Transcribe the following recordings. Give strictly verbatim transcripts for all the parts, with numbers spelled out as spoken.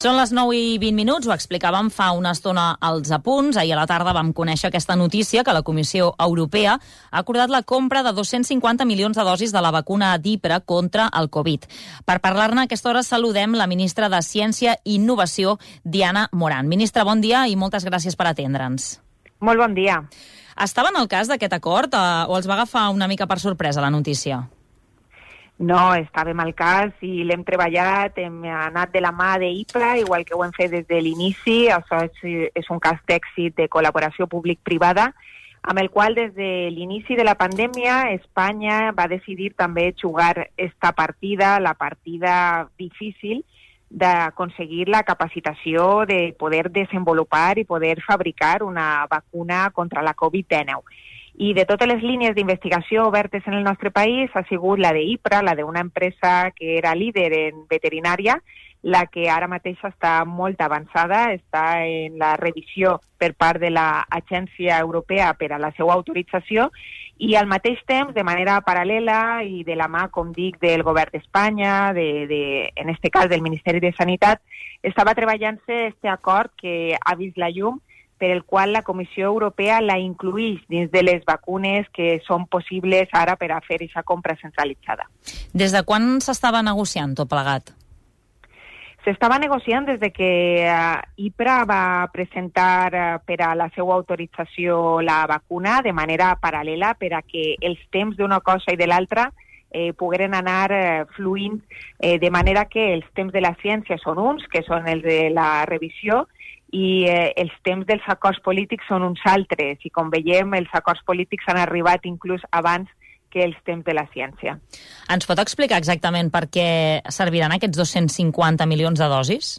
Són les nou i vint minuts, ho explicàvem fa una estona als apunts. Ahir a la tarda vam conèixer aquesta notícia que la Comissió Europea ha acordat la compra de dos-cents cinquanta milions de dosis de la vacuna d'Ipra contra el Covid. Per parlar-ne a aquesta hora saludem la ministra de Ciència i Innovació, Diana Morant. Ministra, bon dia i moltes gràcies per atendre'ns. Molt bon dia. Estaven al cas d'aquest acord eh, o els va agafar una mica per sorpresa la notícia? No, estàvem al cas i l'hem treballat, hem anat de la mà d'Ipra, igual que ho hem fet des de l'inici. Això és, és un cas d'èxit de col·laboració públic-privada, amb el qual des de l'inici de la pandèmia Espanya va decidir també jugar esta partida, la partida difícil d'aconseguir la capacitació de poder desenvolupar i poder fabricar una vacuna contra la Covid dinou. I de totes les línies d'investigació obertes en el nostre país ha sigut la d'Ipra, la d'una empresa que era líder en veterinària, la que ara mateix està molt avançada, està en la revisió per part de l'Agència Europea per a la seva autorització i al mateix temps, de manera paral·lela i de la mà, com dic, del govern d'Espanya, de, de, en este cas del Ministeri de Sanitat, estava treballant-se este acord que ha vist la llum, per el qual la Comissió Europea la incluïx dins de les vacunes que són possibles ara per a fer aquesta compra centralitzada. Des de quan s'estava negociant tot plegat? S'estava negociant des de que uh, Ipra va presentar uh, per a la seva autorització la vacuna de manera paral·lela per a que els temps d'una cosa i de l'altra eh, pogueren anar eh, fluint eh, de manera que els temps de la ciència són uns, que són els de la revisió, i eh, els temps dels acords polítics són uns altres, i com veiem els acords polítics han arribat inclús abans que els temps de la ciència. Ens pot explicar exactament per què serviran aquests dos-cents cinquanta milions de dosis?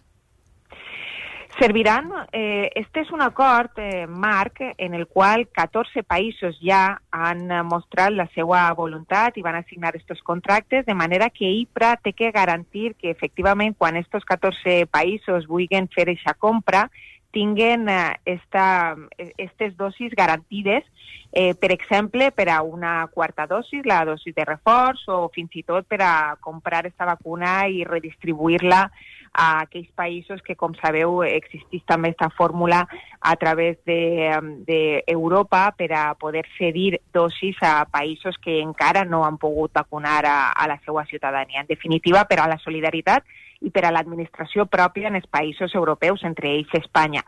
Serviran, eh, este és un acord, eh, marc, en el qual catorze països ja han mostrat la seva voluntat i van a signar aquests contractes, de manera que Ipra té que garantir que efectivament quan aquests catorze països vulguin fer aquesta compra, tinguen eh, esta, estes dosis garantides, eh, per exemple, per a una quarta dosis, la dosis de reforç, o fins i tot per a comprar aquesta vacuna i redistribuir-la a aquells països que, com sabeu, existeix també aquesta fórmula a través d'Europa de, de per a poder cedir dosis a països que encara no han pogut vacunar a, a la seva ciutadania. En definitiva, per a la solidaritat i per a l'administració pròpia en els països europeus, entre ells Espanya.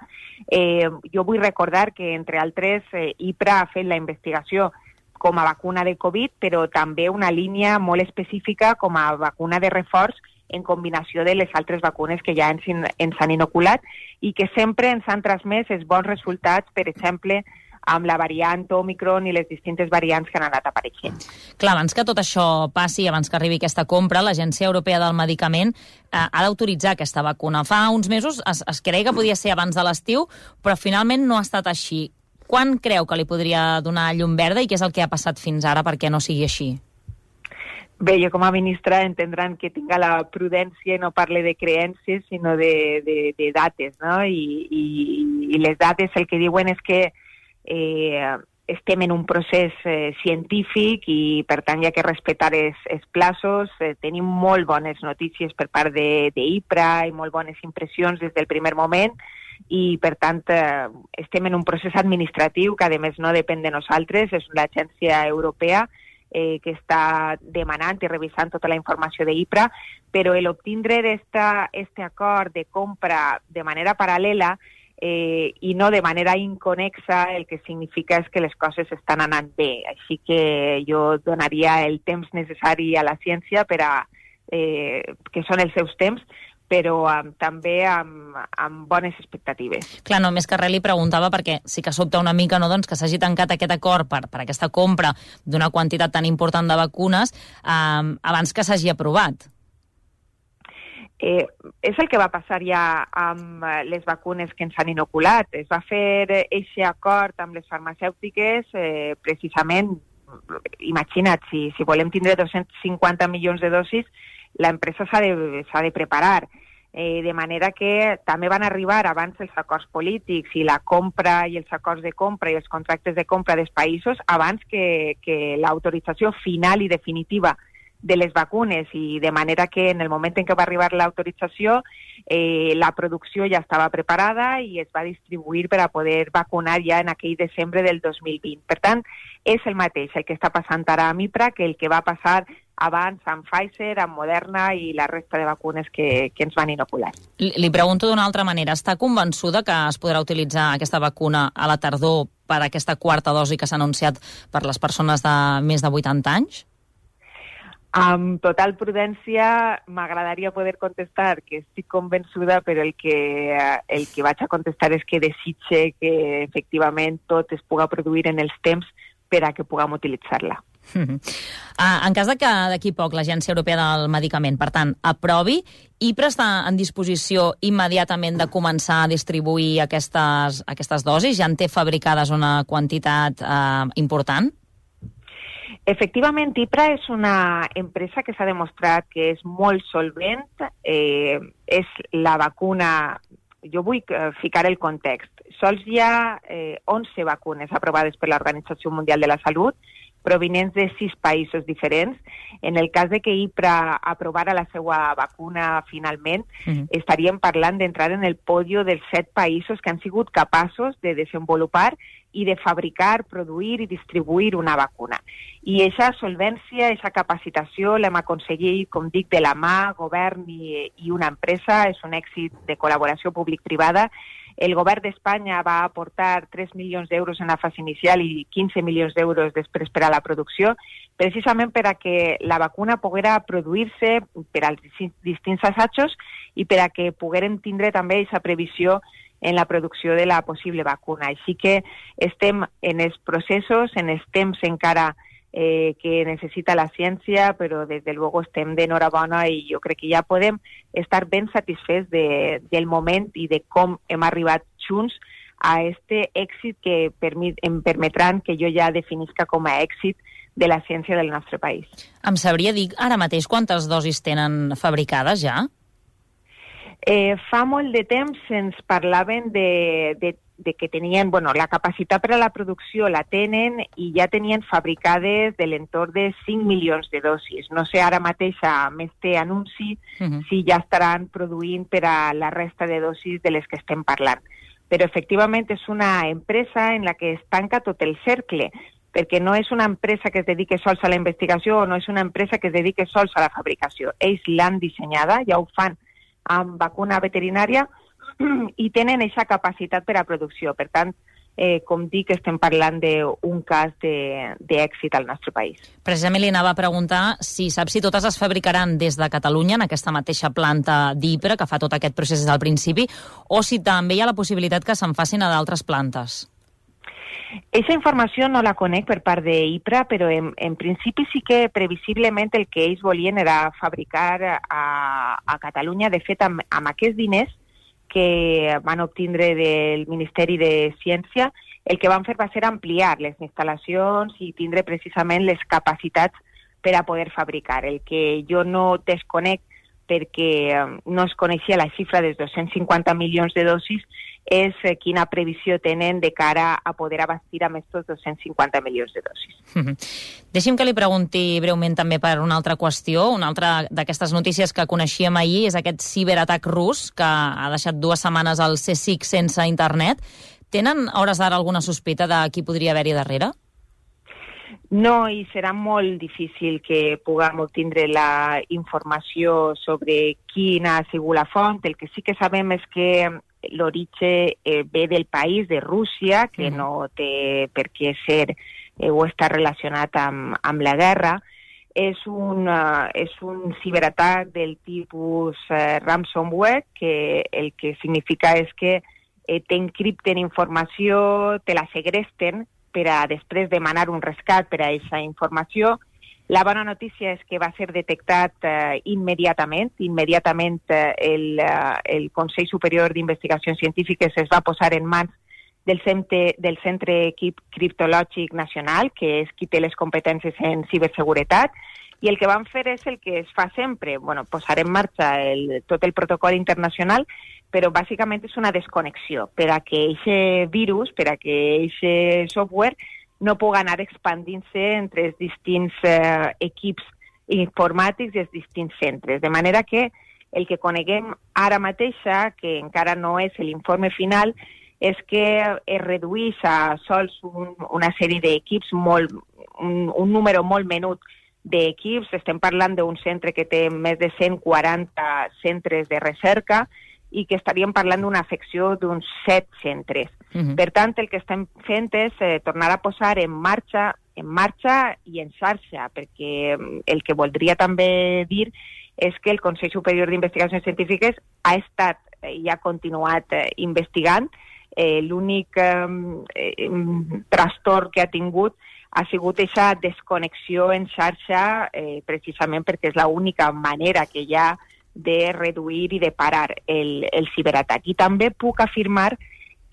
Eh, jo vull recordar que, entre altres, eh, Ipra ha fet la investigació com a vacuna de Covid, però també una línia molt específica com a vacuna de reforç en combinació de les altres vacunes que ja ens, ens han inoculat i que sempre ens han transmès els bons resultats, per exemple, amb la variant Omicron i les distintes variants que han anat apareixent. Clar, abans que tot això passi, abans que arribi aquesta compra, l'Agència Europea del Medicament eh, ha d'autoritzar aquesta vacuna. Fa uns mesos es, es creia que podia ser abans de l'estiu, però finalment no ha estat així. Quan creu que li podria donar llum verda i què és el que ha passat fins ara perquè no sigui així? Bé, jo com a ministra entendran que tinga la prudència i no parle de creences, sinó de, de, de dates, no? I, i, i les dates el que diuen és que eh, estem en un procés eh, científic i, per tant, hi ha que respectar els, els plaços. Eh, tenim molt bones notícies per part d'Ipra i molt bones impressions des del primer moment i, per tant, eh, estem en un procés administratiu que, a més, no depèn de nosaltres, és l'Agència Europea Eh, que està demanant i revisant tota la informació d'Ipra, però l'obtindre d'aquest acord de compra de manera paral·lela eh, i no de manera inconexa, el que significa és que les coses estan anant bé. Així que jo donaria el temps necessari a la ciència per a, eh, que són els seus temps, però um, també amb, amb bones expectatives. Clar, només que res li preguntava perquè sí que sobta una mica, no, doncs, que s'hagi tancat aquest acord per, per aquesta compra d'una quantitat tan important de vacunes um, abans que s'hagi aprovat. Eh, és el que va passar ja amb les vacunes que ens han inoculat. Es va fer aquest acord amb les farmacèutiques eh, precisament, imagina't, si, si volem tindre dos-cents cinquanta milions de dosis, l'empresa s'ha de, s'ha de preparar. Eh, de manera que també van arribar abans els acords polítics i la compra i els acords de compra i els contractes de compra dels països abans que, que l'autorització final i definitiva de les vacunes, i de manera que en el moment en què va arribar l'autorització eh, la producció ja estava preparada i es va distribuir per a poder vacunar ja en aquell desembre del dos mil vint. Per tant, és el mateix el que està passant ara amb IPRA que el que va passar abans amb Pfizer, amb Moderna i la resta de vacunes que, que ens van inocular. Li, li pregunto d'una altra manera. Està convençuda que es podrà utilitzar aquesta vacuna a la tardor per aquesta quarta dosi que s'ha anunciat per les persones de més de vuitanta anys? Amb total prudència m'agradaria poder contestar que estic convençuda, però el que, el que vaig a contestar és que desitge que efectivament tot es puga produir en els temps per a que puguem utilitzar-la. Uh, en cas de que d'aquí poc l'Agència Europea del Medicament, per tant, aprovi, IPRA està en disposició immediatament de començar a distribuir aquestes, aquestes dosis? Ja en té fabricades una quantitat uh, important? Efectivament, IPRA és una empresa que s'ha demostrat que és molt solvent. Eh, és la vacuna... Jo vull ficar el context. Sols hi ha eh, onze vacunes aprovades per l'Organització Mundial de la Salut, provinents de sis països diferents. En el cas de que IPRA aprovara la seva vacuna finalment, uh-huh. estaríem parlant d'entrar en el podio dels set països que han sigut capaços de desenvolupar i de fabricar, produir i distribuir una vacuna. I aquesta solvència, aquesta capacitació l'hem aconseguit, com dic, de la mà, govern i, i una empresa. És un èxit de col·laboració públic-privada. El govern d'Espanya va aportar tres milions d'euros en la fase inicial i quinze milions d'euros després per a la producció, precisament per a que la vacuna poguera produir-se per als distints assajos i per a que pogueren tindre també aquesta previsió en la producció de la possible vacuna. Així que estem en els processos, en els temps encara eh, que necessita la ciència, però des de luego estem d'enhorabona i jo crec que ja podem estar ben satisfets de, del moment i de com hem arribat junts a este èxit que permit, em permetran que jo ja definisca com a èxit de la ciència del nostre país. Em sabria dir ara mateix quantes dosis tenen fabricades ja? Eh, fa molt de temps ens parlaven de, de, de que tenien, bueno, la capacitat per a la producció la tenen i ja tenien fabricades de l'entorn de cinc milions de dosis. No sé ara mateix, amb este anunci, uh-huh. si ja estaran produint per a la resta de dosis de les que estem parlant. Però efectivament és una empresa en la que es tanca tot el cercle, perquè no és una empresa que es dedique sols a la investigació o no és una empresa que es dedique sols a la fabricació. Ells l'han dissenyada, ja ho fan amb vacuna veterinària i tenen aquesta capacitat per a producció. Per tant, eh, com dic, estem parlant d'un cas d'èxit al nostre país. Precisament li anava a preguntar si sap si totes es fabricaran des de Catalunya, en aquesta mateixa planta d'IPRA, que fa tot aquest procés des del principi, o si també hi ha la possibilitat que se'n facin a d'altres plantes. Aquesta informació no la conec per part d'IPRA, però en, en principi sí que previsiblement el que ells volien era fabricar a, a Catalunya. De fet, amb, amb aquests diners que van obtindre del Ministeri de Ciència, el que van fer va ser ampliar les instal·lacions i tindre precisament les capacitats per a poder fabricar. El que jo no desconec perquè no es coneixia la xifra dels dos-cents cinquanta milions de dosis, és quina previsió tenen de cara a poder abastir amb aquests dos-cents cinquanta milions de dosis. Mm-hmm. Deixi'm que li pregunti breument també per una altra qüestió. Una altra d'aquestes notícies que coneixíem ahir és aquest ciberatac rus que ha deixat dues setmanes el C SIC sense internet. Tenen, a hores d'ara, alguna sospita de qui podria haver-hi darrere? No, i serà molt difícil que puguem obtindre la informació sobre quina ha sigut la font. El que sí que sabem és que l'origen eh, ve del país, de Rússia, que mm. no té per què ser eh, o està relacionat amb, amb la guerra. És un, uh, és un ciberatac del tipus uh, ransomware, que el que significa és que eh, t'encripten informació, te la segresten, per a després demanar un rescat per a aquesta informació. La bona notícia és que va ser detectat eh, immediatament. Immediatament eh, el, eh, el Consell Superior d'Investigacions Científiques es va posar en mans del Centre, del Centre Criptològic Nacional, que és qui té les competències en ciberseguretat, i el que van fer és el que es fa sempre, bueno, posar en marxa el, tot el protocol internacional, però bàsicament és una desconnexió per a que aquest virus, per a que aquest software no pugui anar expandint-se entre els distints eh, equips informàtics dels distints centres. De manera que el que coneguem ara mateixa, que encara no és l'informe final, és que es redueix a sols un, una sèrie d'equips, molt, un, un número molt menut d'equips. Estem parlant d'un centre que té més de cent quaranta centres de recerca i que estaríem parlant d'una afecció d'uns set centres. Uh-huh. Per tant, el que estem fent és eh, tornar a posar en marxa, en marxa i en xarxa, perquè el que voldria també dir és que el Consell Superior d'Investigacions Científiques ha estat i ha continuat eh, investigant. Eh, L'únic eh, eh, trastorn que ha tingut ha sigut aquesta desconnexió en xarxa, eh, precisament perquè és l'única manera que hi ha de reduir i de parar el, el ciberatac. I també puc afirmar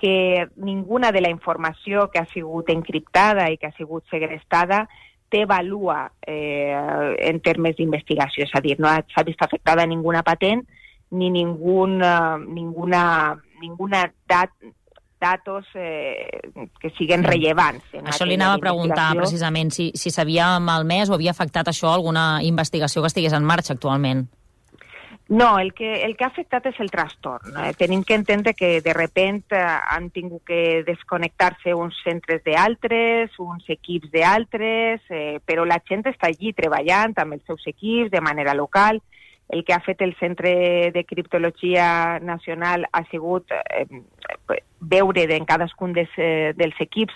que ninguna de la informació que ha sigut encriptada i que ha sigut segrestada té valua eh, en termes d'investigació, és a dir, no s'ha vist afectada ninguna patent ni ninguna, ninguna, ninguna dat, datos eh, que siguin rellevants. Això li anava a preguntar precisament si, si s'havia malmès o havia afectat això alguna investigació que estigués en marxa actualment. No, el que, el que ha afectat és el trastorn. Eh? Tenim que entendre que de repent eh, han tingut que desconnectar-se uns centres d'altres, uns equips d'altres, eh, però la gent està allí treballant amb els seus equips de manera local. El que ha fet el Centre de Criptologia Nacional ha sigut eh, veure en cadascun des, eh, dels equips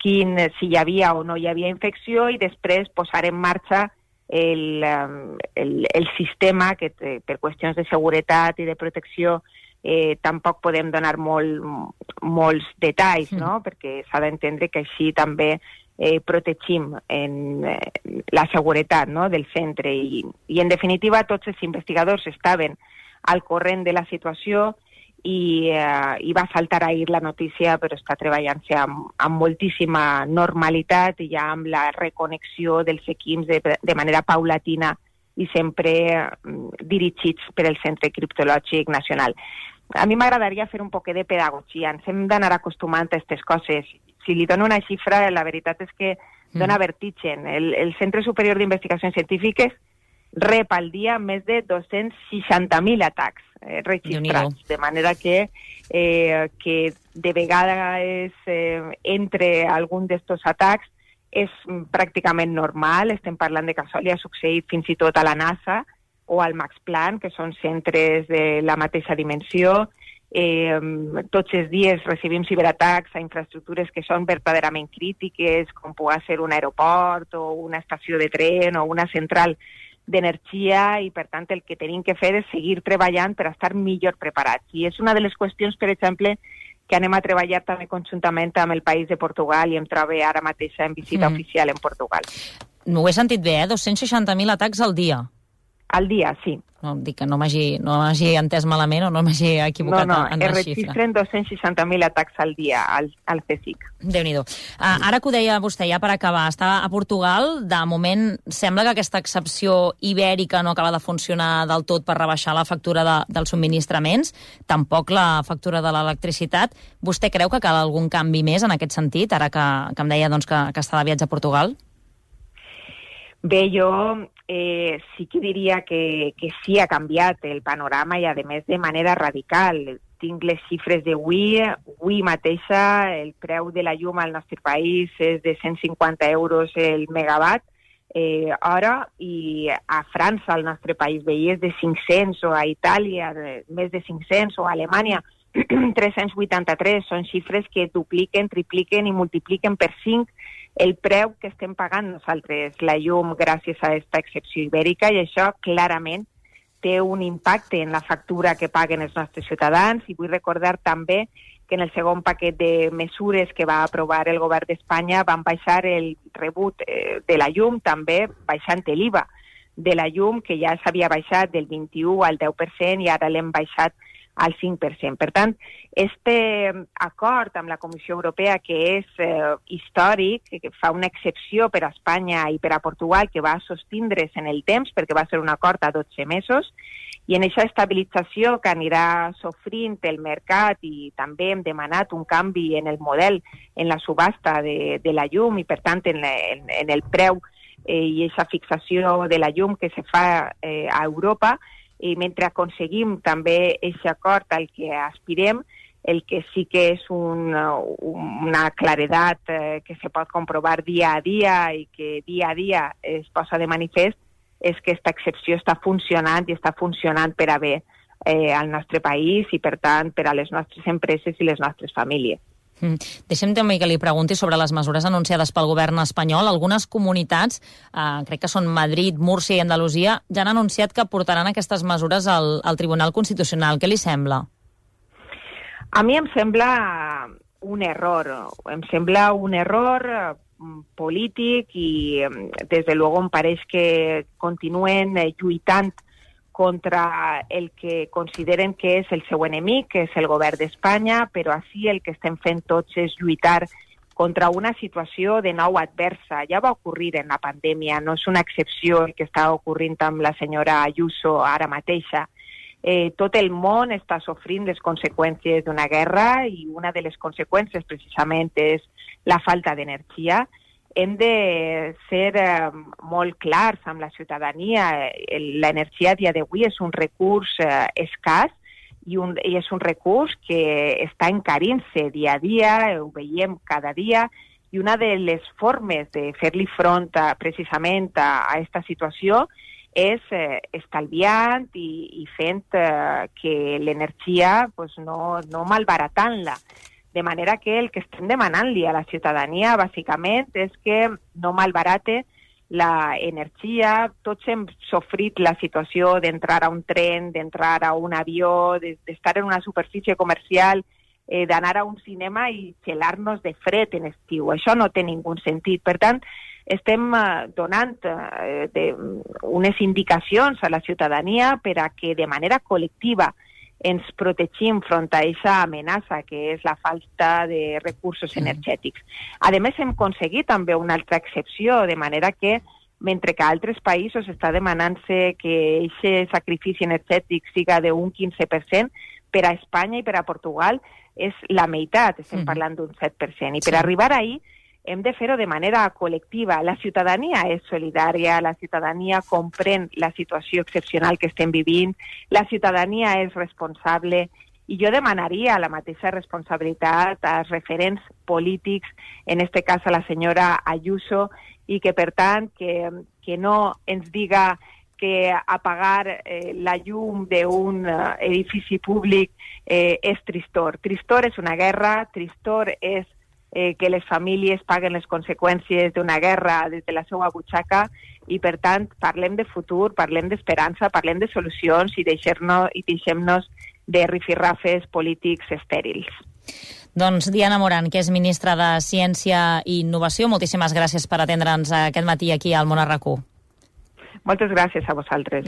quin, si hi havia o no hi havia infecció i després posar en marxa El, el, el sistema que per qüestions de seguretat i de protecció eh, tampoc podem donar molt, molts detalls, no? Mm. Perquè s'ha d'entendre que així també eh, protegim en, eh, la seguretat, no? Del centre i, i en definitiva tots els investigadors estaven al corrent de la situació i, eh, i va saltar ahir la notícia, però està treballant-se amb, amb moltíssima normalitat i ja amb la reconnexió dels equips de, de manera paulatina i sempre eh, dirigits per el Centre Criptològic Nacional. A mi m'agradaria fer un poquet de pedagogia. Ens hem d'anar acostumant a aquestes coses. Si li dono una xifra, la veritat és que dona mm. vertigen. El, el Centre Superior d'Investigacions Científiques rep al dia més de dos-cents seixanta mil atacs eh, registrats, de manera que, eh, que de vegades eh, entre algun d'estos atacs és pràcticament normal. Estem parlant de que això li ha succeït fins i tot a la NASA o al Max Planck, que són centres de la mateixa dimensió. Eh, tots els dies recibim ciberatacs a infraestructures que són verdaderament crítiques, com pugui ser un aeroport o una estació de tren o una central d'energia, i per tant el que tenim que fer és seguir treballant per estar millor preparats. I és una de les qüestions, per exemple, que anem a treballar també conjuntament amb el país de Portugal i em trobo ara mateix en visita mm. oficial en Portugal. No ho he sentit bé, eh? dos-cents seixanta mil atacs al dia. Al dia, sí. No, dic que no m'hagi no entès malament o no m'hagi equivocat no, no, en la xifra. No, no, es registren dos-cents seixanta mil atacs al dia al, al C S I C. Déu-n'hi-do. Uh, ara que ho deia vostè, ja per acabar, està a Portugal, de moment sembla que aquesta excepció ibèrica no acaba de funcionar del tot per rebaixar la factura de, dels subministraments, tampoc la factura de l'electricitat. Vostè creu que cal algun canvi més en aquest sentit, ara que, que em deia doncs, que, que està de viatge a Portugal? Bé, jo eh, sí que diria que, que sí ha canviat el panorama i, a més, de manera radical. Tinc les xifres d'avui. Avui mateixa el preu de la llum al nostre país és de cent cinquanta euros el megawatt eh, hora, i a França, al nostre país veí, és de cinc-cents, o a Itàlia de, més de cinc-cents, o a Alemanya tres-cents vuitanta-tres. Són xifres que dupliquen, tripliquen i multipliquen per cinc el preu que estem pagant nosaltres la llum gràcies a aquesta excepció ibèrica, i això clarament té un impacte en la factura que paguen els nostres ciutadans. I vull recordar també que en el segon paquet de mesures que va aprovar el govern d'Espanya van baixar el rebut eh, de la llum, també baixant l'I V A de la llum, que ja s'havia baixat del vint-i-u al deu per cent i ara l'hem baixat al cinc per cent. Per tant, este acord amb la Comissió Europea, que és eh, històric, que fa una excepció per a Espanya i per a Portugal, que va sostindre's en el temps, perquè va ser un acord a dotze mesos, i en aquesta estabilització que anirà sofrint el mercat, i també hem demanat un canvi en el model, en la subhasta de, de la llum, i per tant en, la, en, en el preu eh, i aquesta fixació de la llum que se fa eh, a Europa, i mentre aconseguim també aquest acord al que aspirem, el que sí que és un, una claredat eh, que se pot comprovar dia a dia i que dia a dia es posa de manifest és que aquesta excepció està funcionant i està funcionant per a bé eh, al nostre país i, per tant, per a les nostres empreses i les nostres famílies. Mm. Deixem també que li pregunti sobre les mesures anunciades pel govern espanyol. Algunes comunitats, eh, crec que són Madrid, Múrcia i Andalusia, ja han anunciat que portaran aquestes mesures al, al Tribunal Constitucional. Què li sembla? A mi em sembla un error. Em sembla un error polític i, des de luego, em pareix que continuen lluitant contra el que consideren que és el seu enemic, que és el govern d'Espanya, però així el que estem fent tots és lluitar contra una situació de nou adversa. Ja va ocorrir en la pandèmia, no és una excepció el que està ocorrint amb la senyora Ayuso ara mateixa. Eh, tot el món està sofrint les conseqüències d'una guerra i una de les conseqüències precisament és la falta d'energia. Hem de ser eh, molt clars amb la ciutadania. L'energia a dia d'avui és un recurs eh, escàs i, un, i és un recurs que està encarint-se dia a dia, ho veiem cada dia, i una de les formes de fer-li front a, precisament a aquesta situació és eh, estalviant i, i fent eh, que l'energia pues, no, no malbaratant-la. De manera que el que estem demanant-li a la ciutadania, bàsicament, és que no malbarate la energia. Tots hem sofrit la situació d'entrar a un tren, d'entrar a un avió, d'estar en una superfície comercial, eh, d'anar a un cinema i gelar-nos de fred en estiu. Això no té ningú sentit. Per tant, estem eh, donant eh, de, unes indicacions a la ciutadania per a que de manera col·lectiva ens protegim front a aquesta amenaça que és la falta de recursos energètics. A més, hem aconseguit també una altra excepció, de manera que, mentre que a altres països està demanant-se que aquest sacrifici energètic siga d'un quinze per cent, per a Espanya i per a Portugal és la meitat, estem parlant d'un set per cent. I per arribar ahí hem de fer-ho de manera col·lectiva. La ciutadania és solidària, la ciutadania comprèn la situació excepcional que estem vivint, la ciutadania és responsable, i jo demanaria la mateixa responsabilitat als referents polítics, en este cas a la senyora Ayuso, i que, per tant, que, que no ens diga que apagar eh, la llum d'un uh, edifici públic eh, és tristor. Tristor és una guerra, tristor és Eh, que les famílies paguen les conseqüències d'una guerra des de la seva butxaca i, per tant, parlem de futur, parlem d'esperança, parlem de solucions i deixem-nos i deixem-nos de rifirrafes polítics estèrils. Doncs Diana Morant, que és ministra de Ciència i Innovació, moltíssimes gràcies per atendre'ns aquest matí aquí al Món a RAC u. Moltes gràcies a vosaltres.